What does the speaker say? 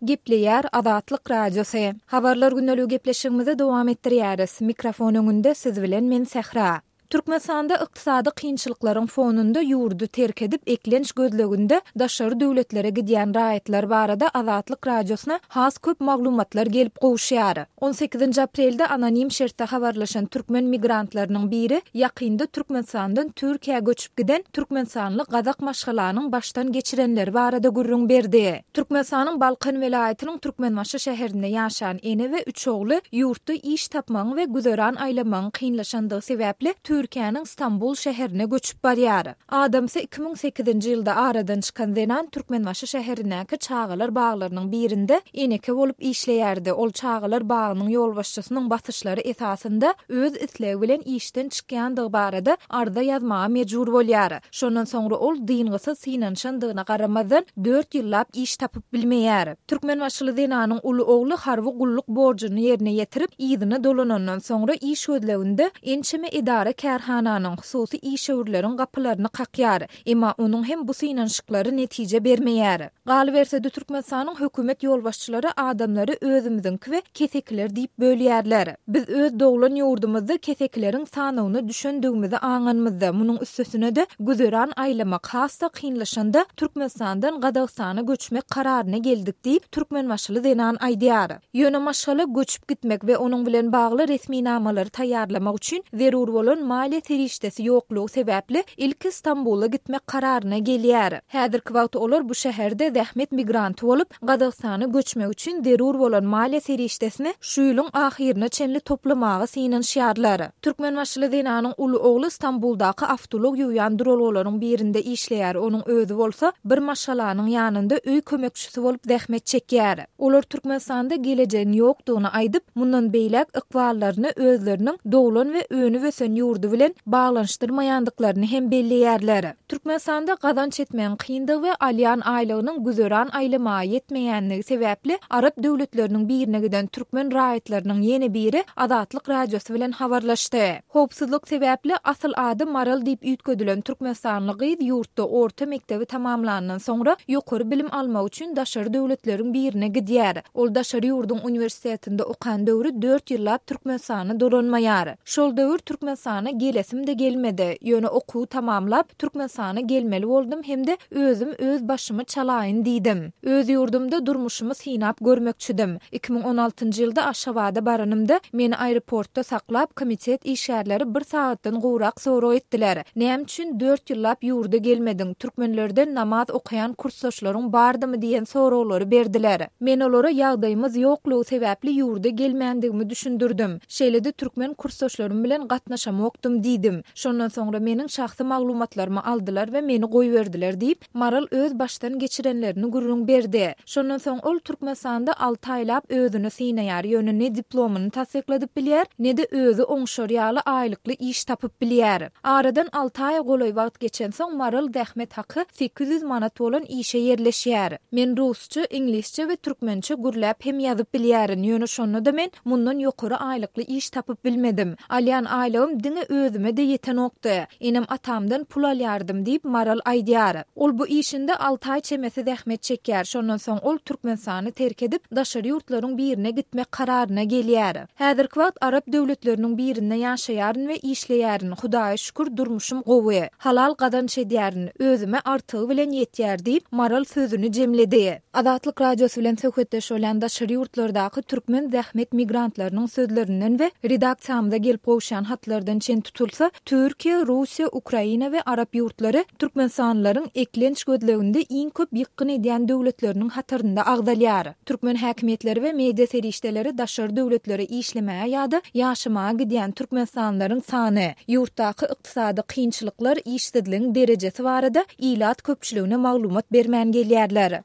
Gepleýär Azatlyk Radiosy. Habarlar gündeligi gepleşigimizi dowam etdirýäris. Mikrofon öňünde siz bilen men Sähra. Türkmenistanda ykdysady kynçylyklaryň fonunda ýurdy terk edip, eklenç gözleginde daşary döwletlere gidýän raýatlar barada Azatlyk Radiosyna has köp maglumatlar gelip gowuşýar. On sekizinji aprelde anonim şertde habarlaşan türkmen migrantlarynyň biri ýakynda Türkmenistandan Türkiýä göçüp giden türkmenistanly gazak maşgalanyň başdan geçirenleri barada gürrüň berdi. Türkmenistanyň Balkan welaýatynyň Türkmenbaşy şäherinde ýaşan ene we üç ogly ýurtda iş tapmagyň we güzeran aýlamagyň kynlaşandygy sebäpli Türkiýäniň Stambul şäherine göçüp barýar. Adamsy 2008-nji ýylda aradan çykan zenan Türkmenbaşy şäherindäki çagalar baglarynyň birinde eneke bolup işleýärdi. Ol çagalar bagynyň ýolbaşçysynyň basyşlary esasynda öz islegi bilen işden çykýandygy barada arza ýazmaga mejbur bolýar. Şondan soňra ol dyngysyz synanyşandygyna garamazdan, dört ýyllap iş tapyp bilmeýär. Türkmenbaşyly zenanyň uly ogly harby gulluk borjuny ýerine ýetirip, yzyna dolanandan soňra iş gözleginde ençeme edara-kärhananyň, hususy işewürleriň gapylaryny kakýar. Emma onuň hem bu synanyşyklary netije bermeýär. Galyberse-de, Türkmenistanyň hökümet ýolbaşçylary adamlary özümiziňki we kesekiler diýip bölýärler. Biz öz doglan ýurdumyzda kesekileriň sanawyna düşendigimizi aňanymyzda, munuň üstesine-de güzeran aýlamak has-da kynlaşanda Türkmenistandan Gazagystana göçmek kararyna geldik diýip, türkmenbaşyly zenan aýdýar. Ýöne maşgala göçüp gitmek we onuň bilen bagly resminamalary taýýarlamak üçin zerur bolan maliýe serişdesi ýoklugy sebäpli ilki Stambula gitmek kararyna gelýär. Häzirki wagt olar bu şäherde zähmet migranty bolup, Gazagystana göçmek üçin zerur bolan maliýe serişdesini şu ýylyň ahyryna çenli toplamaga synanyşýarlar. Türkmenbaşyly zenanyň uly ogly Stambuldaky awtoulag ýuwýan duralgalaryň birinde işleýär, onuň özi bolsa bir maşgalanyň ýanynda öý kömekçisi bolup zähmet çekýär. Olar Türkmenistanda gelejegiň ýokdugyny aýdyp, mundan beýläk ykballaryny özleriniň doglan we önüp-ösen ýurdy bilen baglanyşdyrmaýandyklaryny hem belleýärler. Türkmenistanda gazanç etmegiň kyndygy we alýan aýlygynyň güzeran aýlamaga ýetmeýänligi sebäpli arap döwletleriniň birine giden türkmen raýatlarynyň ýene biri Azatlyk Radiosy bilen habarlaşdy. Howpsuzlyk sebäpli asyl ady Maral diýip üýtgedilen türkmenistanly gyz ýurtda orta mekdebi tamamlandan soňra ýokary bilim almak üçin daşary döwletleriň birine gidýär. Ol daşary ýurduň uniwersitetinde okan döwri dört ýyllap Türkmenistana dolanmaýar. Şol döwür Türkmenistana gelesim-de gelmedi. Ýöne okuwy tamamlap, Türkmenistana gelmeli boldum hem-de özüm öz başymy çalaýyn diýdim. Öz ýurdumda durmuşymy synap görmekçidim. 2016-njy ýylda Aşgabada baranymda, meni aeroportda saklap, komitet işgärleri bir sagatdan gowrak sorag etdiler. Näme üçin dört ýyllap ýurda gelmediň, türkmenlerden namaz okaýan kursdaşlaryň bardymy diýen soraglary berdiler. Men olara ýagdaýymyz ýoklugy sebäpli ýurda gelmändigimi düşündirdim. Şeýle-de türkmen kursdaşlarym bilen gatnaşamokdym diýdim. Şondan soňra meniň şahsy maglumatlarymy aldylar we meni goýberdiler diýip, Maral öz başdan geçirenlerini gürrüň berdi. Şondan soň ol Türkmenistanda alty aýlap özüni synaýar, ýöne ne diplomyny tassykladyp bilýär, ne-de özi oňşar ýaly aýlykly iş tapyp bilýär. Aradan alty aýa golaý wagt geçensoň Maral zähmet haky 800 manat bolan işe ýerleşýär. Men rusça, iňlisçe we türkmençe gürläp hem ýazyp bilýärin, ýöne şonda-da men Mundan ýokary aýlykly iş tapyp bilmedim. Alýan aýlygym diňe özüme-de ýetenokdy. Enem-atamdan pul alýardym diýip, Maral aýdýar. Ol bu işinde alty aý çemesi zähmet çekýär. Şondan soň ol Türkmenistany terk edip, daşary ýurtlaryň birine gitmek kararyna gelýär. Häzirki wagt arap döwletleriniň birinde ýaşaýaryn we işleýärin. Hudaýa şükür, durmuşym gowy. Halal gazanç edýärin. Özüme artygy bilen ýetýär diýip, Maral sözüni jemledi. Azatlyk Radiosy bilen söhbetdeş bolýan daşary ýurtlardaky türkmen zähmet migrantlarynyň sözlerinden we redaksiýamyza gelip gowuşýan hatlardan çen tutulsa, Türkiýe, Russiýa, Ukraina we arap ýurtlary türkmenistanlylaryň eklenç gözleginde iň köp ýykgyn edýän döwletleriniň hatarynda agzalýar. Türkmen häkimiýetleri we media serişdeleri daşary döwletlere işlemäge ýa-da ýaşamaga gidýän türkmenistanlylaryň sany, ýurtdaky ykdysady kynçylyklar, işsizligiň derejesi barada ilat köpçüligine maglumat bermän gelýärler.